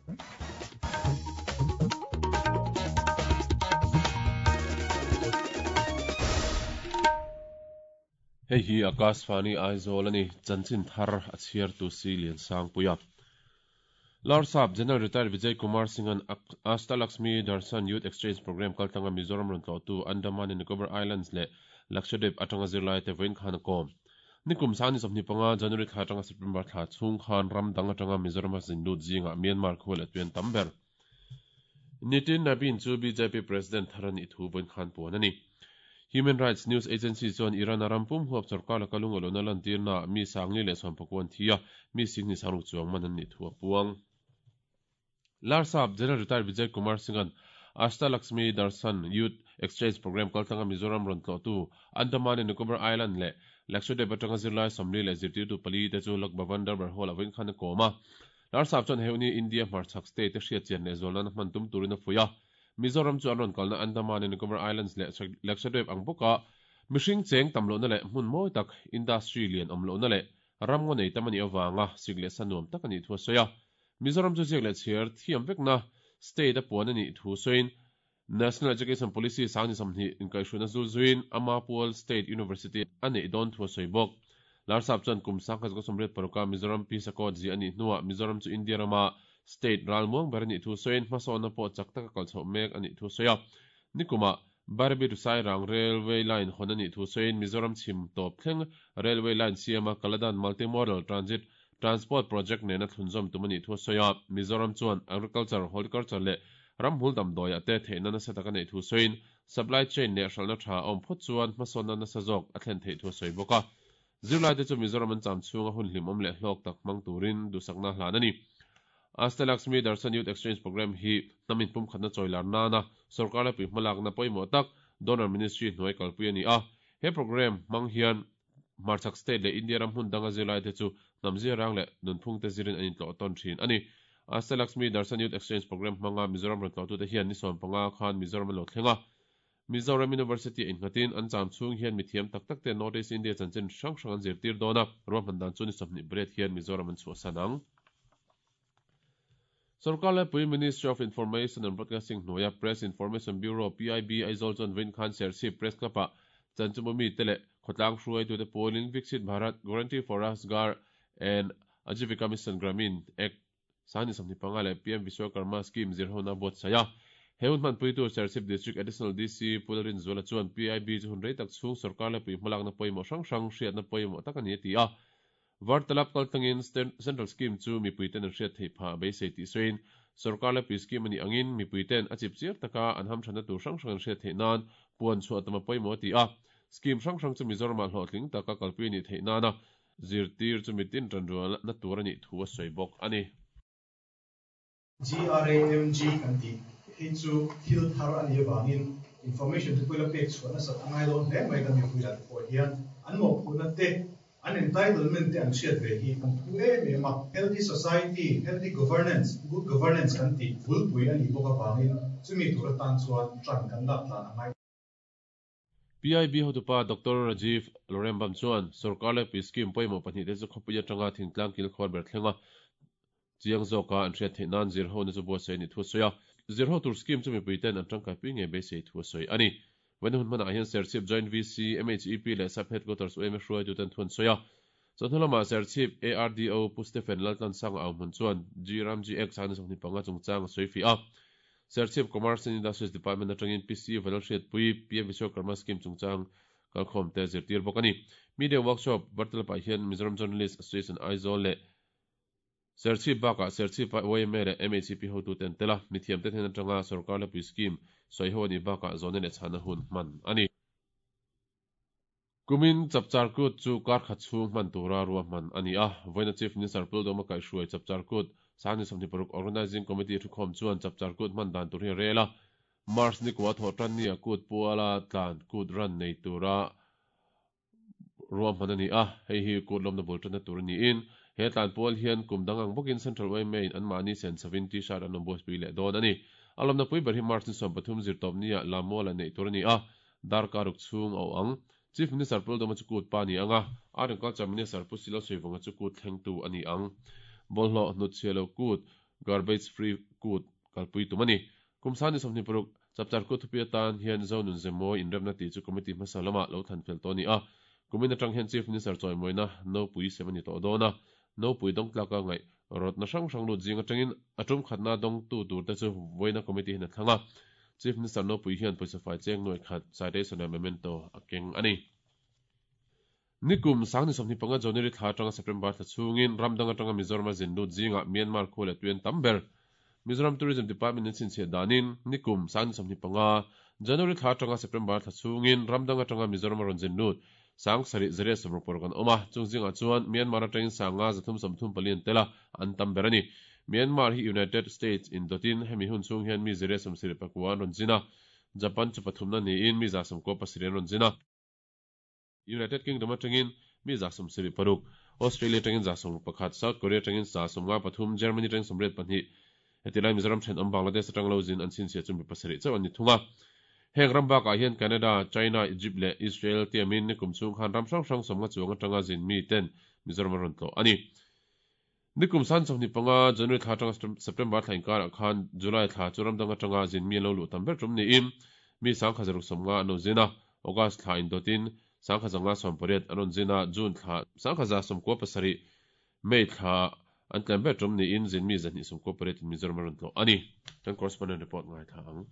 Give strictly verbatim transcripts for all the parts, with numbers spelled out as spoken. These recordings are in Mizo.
Hei hi Akashvani Aizawl ani chanchin thar a chhiar tu si lian sang puia. Larsap General Retired Vijay Kumar Singh an Asta Lakshmi Darshan Youth Exchange Program kaltanga Mizoram ron tlo tu Andaman and Nicobar Islands le Lakshadweep atanga zirlai te voin khan kom. Nikum sani somni panga January thla atanga September thla chung khan ram dang atanga Mizoram a zinlut zinga Myanmar khol atuen tamber. Nitin Nabin chu B J P President tharani thu voin khan puan ani. Human Rights News Agency chuan Iran rampum huap sarkar la kalung alona lan tirna mi sangli le sompakwan thia mi singni saruk chuang man an ni thua puang. Larsap General Retired Vijay Kumar Singh an Asta Lakshmi Darshan Youth Exchange Program kaltanga Mizoram ron tlo tu Andaman and Nicobar Island le Lakshadweep atanga zirlai somli le zirtir tu pali te chu Lok Bhavan Darbar Hall awin khan koma. Larsap chuan heuni India hmarchhak state te hriat chian le zawlna hman tum turin a fuia. Mizoram chu an ron kalna Andaman and Nicobar Islands le Lakshadweep ang boka mihring cheng tamlo na le hmun mawi tak industry lian awmlo na le ramngaw nei tamani awanga sik le sanuam tak ani thu soya. Mizoram chu ziak le chhiar thiam vekna state a puan ani thu soin National Education Policy sangni samni inkaihruina zul zuin Amapul State University ani don thu soi bawk. Larsap chuan kum sangkhat ka somriat paruka Mizoram Peace Accord zi ani hnuah Mizoram chu India rama state ralmuang ber ani thu soin hmasawnna pawh chak taka kalchhoh mek ani thu soia. Nikuma Barbi to Sairang Railway Line hon ani thu soin Mizoram chhim tawp thleng Railway Line siama Kaladan Multimodal Transit Transport Project nena thlunzawm tum ani thu soia. Mizoram chuan agriculture, horticulture le ramhul damdawi te theihna nasa taka nei thu soin supply chain leh hralhna tha awm phawt chuan hmasawnna nasa zawk a thlen theih thu sawi bawk a. Zirlai te chu Mizoram an cham chhunga hun hlim awm leh hlawk tak hmang turin dusakna hlan ani. Asta Lakshmi Darshan Youth Exchange Program hi namin pum khatna chawilar nana sarkar la pui hmalakna pawimawh tak Donor Ministry hnuai kalpui ani a. He program hmang hian hmarchhak state le India ram hmun danga zirlai te chu hnamzia rang leh nunphung te zirin an intlawh tawn thin ani. Asta Lakshmi Darshan Youth Exchange Program hmanga Mizoram ron tlawh tu te hian ni sawm panga khan Mizoram an lo thlenga. Mizoram University in nghatin an cham chung hian mithiam tak tak te North East India chanchin hrang hrang an zirtir dawna ruahman dan chu ni sawmhnih bret hian Mizoram an chhuahsan ang. Sarkar le pui Ministry of Information and Broadcasting hnuaia Press Information Bureau P I B Aizawl chuan Vin Khan Serchhip Press Club ah chanchumami te leh khawtlang hruai tu te pawlin Viksit Bharat Guarantee for Rojgar and Ajivika Mission Gramin Act sani samni panga le P M Vishwakarma Scheme zirhona buat saya. He hun hman pui tu Serchhip District Additional D C Pularin Zuala chuan P I B chu hun rei tak chhung sarkar le pui hmalakna pawimawh hrang hrang hriatna pawimawh tak ani ti a. Vartalap kaltangin Central Scheme chu mipuiten an hriat theih pha beisei tih sawiin sarkar le pui scheme ani angin mipuiten a chip chiar taka an hamthana tur hrang hrang an hriat theih nan puan chhuah tama pawimawh ti a. Scheme hrang hrang chu Mizoram ah hlawhtling taka kalpui ni theih nana zirtir chu mitin tan rual na tur ani thu a sawi bawk ani. G R A M G kan ti hei chu thil thar ani awangin information te pawh la pek chhuah nasa angai dawn hle mai kan mipui lah te pawh hian an mawhphurhna te an entitlement te an hriat ve hi kan thu em em a. Healthy society, healthy governance, good governance kan ti bulpui ani bawk awangin chumi tur atan chuan tran kan lak tlan angai. P I B hotupa Doctor Rajiv Lorembam chuan sarkar le pui scheme pawimawh pahnih te chu khawpui atanga thingtlang kil khawr ber thlenga chiang zawka an hriat theih nan zirho na chu buatsaih ni thu sawi a. Zirho tur scheme chu mipuiten an tangkai pui nge beisei thu sawi ani. Wen hun hmanah hian Serchhip Joint V C M H E P leh Sub Headquarters U M hruai tu ten thuan sawi a. Chawhnu Serchhip A R D O Pu Stephen Laltlan Sang au hmun chuan G Ram G X ani sawmhnih panga chungchang a sawi fi a. Serchhip Commerce and Industries Department atangin P C Vanal Hriat Pui P M Vishwakarma Scheme chungchang kalkhawm te zirtir bawk ani. Media Workshop vartalapah hian Mizoram Journalist Association Aizawl le Serchhip bakah Serchhip Y M A le M H E P hotu ten tela mithiam te thlen atanga sarkar le pui scheme sawi ho ani bakah zawna leh chhana hun hman ani. Kumin chapchar kut chu kar khat chhung hman tura ruah hman ani a. Voina Chief Minister Puldoma kaihhruai chapchar kut sangni sawmhnih paruk Organizing Committee thukhawm chuan chapchar kut hman dan tur hi rel a. March ni kwa thawh tan ni a kut puala tlan kut ran nei tura ruah hman ani a. Hei hi kut lawmna bul tanna tur ani in he tlan pual hian kum dangang bawkin Central Y M A in an mahni sen savin t-shirt an awm buatpui leh dawn ani. A lawmna pui ber hi March ni sawm pathum zir tawp ni ah lammual an neih tur ani a. Darkar ruk chhung a awm ang. Chief Minister Puldoma chu kut pa ni anga. Art and Culture Minister Pu Silo Suivunga chu kut thleng tu ani ang. Bawlhhlawh hnut chhia lo kut Garbage Free Kut kalpui tum ani. Kum sangni sawmhnih paruk Chapchar Kut thupi atan hian Zonun Zemawi inremna tih chu committee hmasa lama lo thlan fel tawh a ni a. Kumin atang hian Chief Minister chawimawina nopui sem a ni tawh dawn a. Nopui dawng tlaka ngaih rawtna hrang hrang lut zing atangin a tum khatna dawngtu turte chu vawiina committee hian a thlang a. Chief Minister nopui hian pawisa fai cheng nuai khat citation leh memento a keng a ni. Nikum sangni sawmhnih panga January thla atanga September thla chhungin ramdang atanga Mizoram a zin lut zingah Myanmar khua leh tuian tam ber. Mizoram Tourism Department in chhinchhiah danin nikum sangni sawmhnih panga January thla atanga September thla chhungin ramdang atanga Mizoram a rawn zin lut sang sarih zariat sawmruk paruk an awm a. Chung zingah chuan Myanmar atangin sanga zathum sawmthum pali an tel a, an tam ber a ni. Myanmar hi United States in dawtin hemi hun chhung hian mi zariat sawmsarih pakua an rawn zin a, Japan chu pathumna niin mi za sawmkua pasarih an rawn zin a. United Kingdom atangin mi za sawmsarih paruk, Australia atangin za sawmruk pakhat, South Korea atangin za sawmnga pathum, Germany atangin sawmriat pahnih, hetilai Mizoram thenawm Bangladesh atang lo zin an chhinchhiah chu mi pasarih chauh an ni thung a. Heng ram bakah hian Canada, China, Egypt leh Israel tiamin nikum chhung khan ram hrang hrang sawmnga chuang atanga zin mi ten Mizoram a rawn tlawh a ni. Nikum san sawmhnih panga January thla atanga September thla inkarah khan July thla chu ramdang atanga zin mi an lo luh tam ber tum niin mi sangkhat zaruk sawmnga an lo zin a. August thla indawtin sangkhat zanga sawm pariat an rawn zin a, June thla sangkhat za sawmkua pasarih, May thla an tlem ber tum niin zin mi zahnih sawmkua pariatin Mizoram a rawn tlawh a ni. Kan correspondent report ngaithla ang.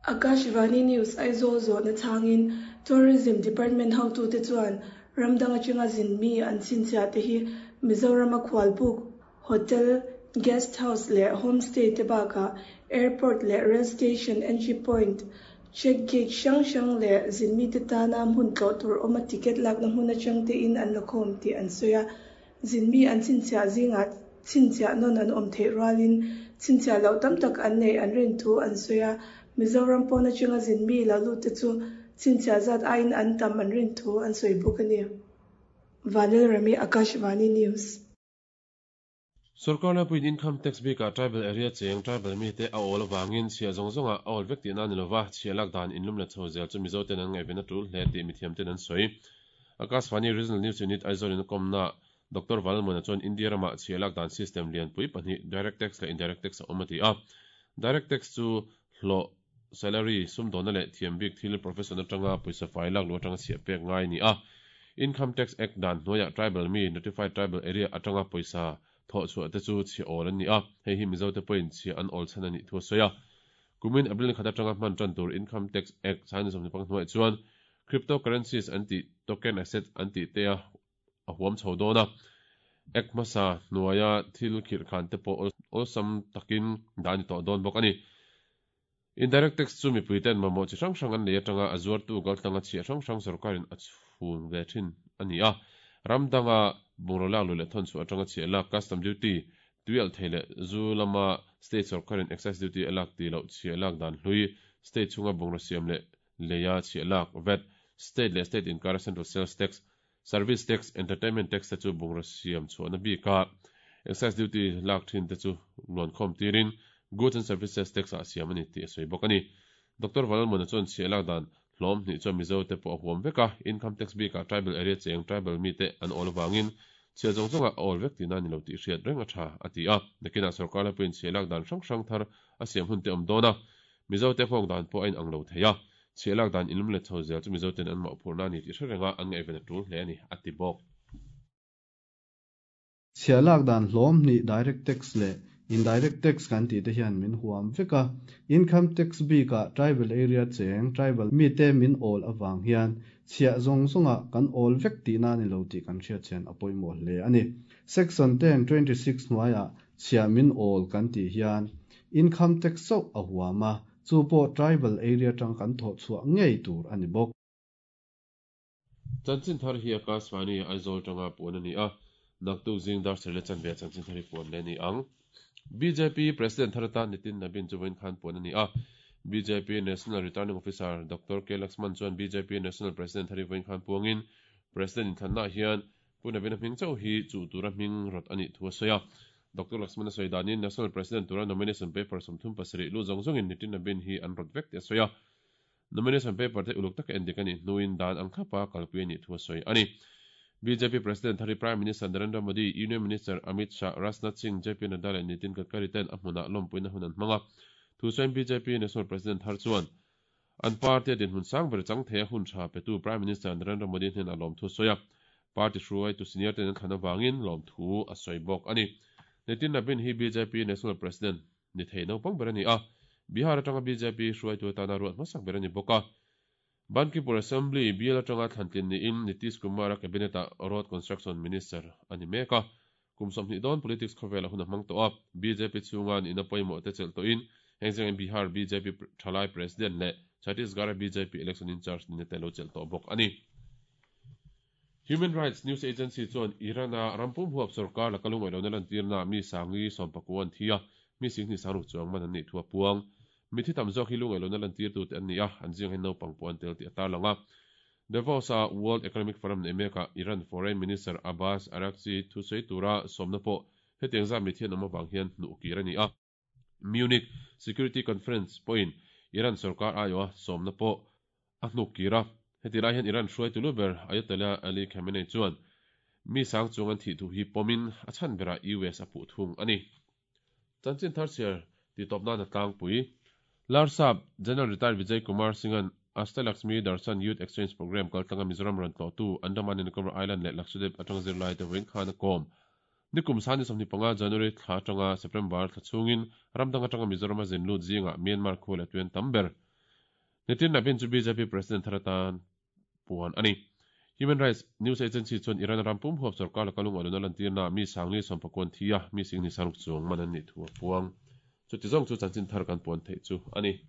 Akashvani News Aizawl zawhna chhangin Tourism Department hotute chuan ramdang atanga zin mi an chhinchhiah te hi Mizoram a khualbuk, hotel, guest house leh homestay te bakah airport leh rail station entry point, check gate hrang hrang leh zin mi te tana hmun tlawh tur awm a ticket lakna hmun atang te in an la khawm tih an sawi a. Zin mi an chhinchhiah zingah chhinchhiah nawn an awm theih rualin chhinchhiah loh tam tak an nei an rin thu an sawi a. Mizoram pawn atanga zin mi lo lut te chu chhinchhiah zat aiin an tam an rin thu an sawi bawk a ni. Vanil Rami, Akashvani News. Sorkar lapuiin income tax bikah tribal area cheng tribal mite a awl avangin chhiah zawng zawngah a awl vek tihna a ni lova, chhiah lak dan inlum let chho zel chu Mizo ten an ngaihven a tul hle tih mithiam ten an sawi. Akashvani Regional News Unit Aizawl in a kawmna Doctor Vanlalmuana chuan India ramah chhiah lak dan system lianpui pahnih direct tax leh indirect tax a awm a ti a. Direct tax chu hlawh, salary, sumdawna leh thiam bik thil profession atanga pawisa fai lak lu atanga chhiah pek ngai a ni a. Income Tax Act dan hnuaiah tribal mi, notified tribal area atanga pawisa thawh chhuah te chu chhiah awl an ni a, hei hi Mizo te pawhin chhiah an awl chhan a nih thu a sawi a. Kumin April ni khat atanga hman tan tur Income Tax Act sangni sawmhnih panga hnuaiah chuan cryptocurrencies an tih token asset an tih te a a huam chho dawn a. Act hmasa hnuaia thil khirh khan te pawh awlsam takin dah a ni tawh dawn bawk a ni. Indirect tax chu mipui ten mamawh chi hrang hrang an nei atanga a zuartu kaltlanga chhiah hrang hrang sorkarin a chhun ve thin a ni a. Ram danga bungraw lak luh leh thawn chhuah atanga chhiah lak custom duty, tuialh thei leh zu lama state sorkarin excise duty a lak tih loh chhiah lak dan hlui, state chhunga bungraw siam leh leia chhiah lak, V A T, state leh state inkara central sales tax, service tax, entertainment tax te chu bungraw siam chhuahna bika excise duty lak thin te chu luankhawm tirin goods and services tax ah siam a ni tih a sawi bawk a ni. Doctor Vanlalmuana chuan chhiah lak dan hlawm hnih chuan Mizo te pawh a huam vek a, income tax bikah tribal area cheng tribal mi te an awl avangin chhiah zawng zawngah a awl vek tihna a ni lo tih hriat reng a tha a ti a. Nakinah sorkar lapuiin chhiah lak dan hrang hrang thar a siam hun te awm dawn a, Mizo te nghawk dan pawh a inang lo thei a, chhiah lak dan inlum let chho zel chu Mizo ten an mawhphurhna a ni tih hre renga an ngaihven a tul hle a ni a ti bawk. Chhiah lak dan hlawm hnih direct tax leh indirect tax kan tih te hian min huam vek a. Income tax bikah tribal area cheng tribal mi te min awl avang hian chhiah zawng zawngah kan awl vek tihna a ni lo tih kan hriat chian a pawimawh hle a ni. Section ten twenty six hnuaiah chhiah min awl kan tih hian income tax chauh a huam a, chu pawh tribal area tang kan thawh chhuah ngei tur a ni bawk. Chanchin thar hi Akashvani Aizawl tanga puan a ni a, naktuk zing dar sarih leh chanve chanchin thar hi puan leh a ni ang. B J P President thar atan Nitin Nabin chu vawiin khan puan a ni a. B J P National Returning Officer Doctor K Laxman chuan B J P National President thar hi vawiin khan puangin President inthlannaah hian Pu Nabin a hming chauh hi chuh tura hming rawt a nih thu a sawi a. Doctor Laxman a sawi danin National President tura nomination paper sawmthum pasarih lu zawng zawngin Nitin Nabin hi an rawt vek tih a sawi a. Nomination paper te uluk taka endik a nih hnuin dan ang thlapa kalpui a nih thu a sawi a ni. B J P President thari Prime Minister Narendra Modi, Union Minister Amit Shah, Rajnath Singh, J P Nadda leh Nitin Gadkari ten a hmunah lawmpuina hun an hmang a. Thu sawiin B J P National President thar chuan an party a dinhmun sang ber chang thei a hun tha petu Prime Minister Narendra Modi hnen a lawm thu sawi a. Party hruai tu senior ten an thlan avangin lawm thu a sawi bawk ani. Nitin Nabin hi B J P National President ni thei naupang ber ani a. Bihar atanga B J P hruaitu atana ruat hmasak ber ani bawk a. Bankipur Assembly bial atanga thlantlin niin Nitish Kumar a cabinet a Road Construction Minister ani mek a. Kum sawmhnih dawn politics khawvel a hun a hmang tawh a. B J P chhunga ina pawimawh te chelh tawhin heng zengin Bihar B J P thalai President leh Chhattisgarh B J P election in charge ni te lo chelh tawh bawk ani. Human Rights News Agency chuan Iran a rampum huap sarkar la kalung elo na lan tirna mi sangi sawmpakuan thia mi sing ni sangruk chuang man an ni thua puang. Mi thi tam zawk hi lung elo na lan tir tu te an ni a, an zing hen naupang puan tel ti atar langa. Davos a World Economic Forum ne meka Iran Foreign Minister Abbas Araghchi thu sei tura somna pawh hetiang za mi thian awm awang hian hnuh kir ani a. Munich Security Conference pawhin Iran sarkar aiwa somna pawh a hnuk kira. Heti lai hian Iran hruai tulu ber Ayatollah Ali Khamenei chuan mi sang chung an thi thu hi pomin a chan bera U S a puh thung ani. Chanchin thar siar ti tawp na na tlangpui. Larsap General Retired Vijay Kumar Singhan Ashtalakshmi Darshan Youth Exchange Program kaltlanga Mizoram ran tlawh tu Andaman and Nicobar Island leh Lakshadweep atanga zirlai te vawiin khan a kawm. Nikum sani sawmhnih panga January thla atanga September thla chhungin ramdang atanga Mizoram a zin lut zinga Myanmar khu leh tuan tam ber. Nitin Nabin chu B J P President tharatan puan ani. Human Rights News Agency chuan Iran rampum huap sarkar la kalung aluna lan tirna mi sangli sawmpakun thia mi sing ni saruk chuang man an ni thu a puang. Chu ti zawng chu chanchin thar kan puan theih chu ani.